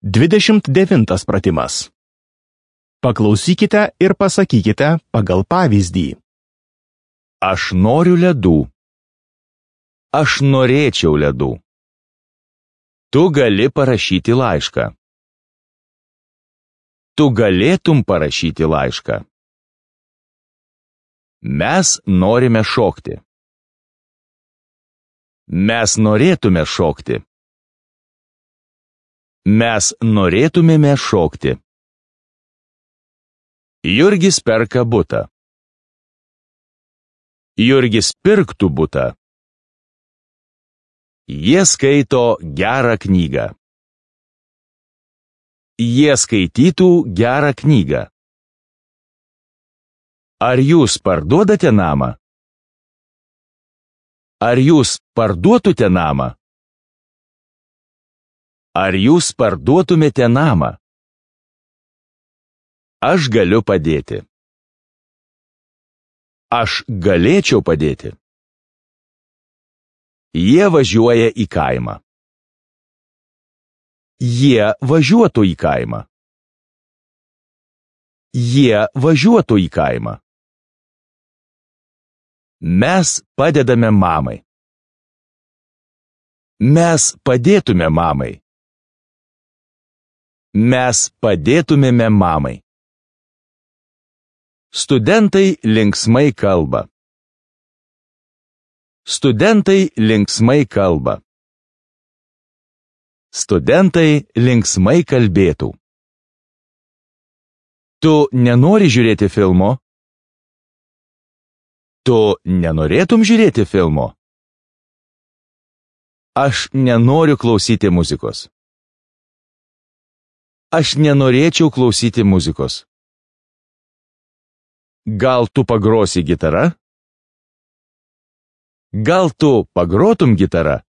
29 pratimas. Paklausykite ir pasakykite pagal pavyzdį. Aš noriu ledų. Aš norėčiau ledų. Tu gali parašyti laišką. Tu galėtum parašyti laišką. Mes norime šokti. Mes norėtume šokti. Mes norėtumėme šokti. Jurgis perka butą. Jurgis pirktų butą. Jie skaito gerą knygą. Jie skaitytų gerą knygą. Ar jūs parduodate namą? Ar jūs parduotute namą? Ar jūs parduotumėte namą? Aš galiu padėti. Aš galėčiau padėti. Jie važiuoja į kaimą. Jie važiuotų į kaimą. Jie važiuotų į kaimą. Mes padedame mamai. Mes padėtume mamai. Mes padėtumėme mamai. Studentai linksmai kalba. Studentai linksmai kalba. Studentai linksmai kalbėtų. Tu nenori žiūrėti filmo? Tu nenorėtum žiūrėti filmo? Aš nenoriu klausyti muzikos. Aš nenorėčiau klausyti muzikos. Gal tu pagrosi gitarą? Gal tu pagrotum gitarą?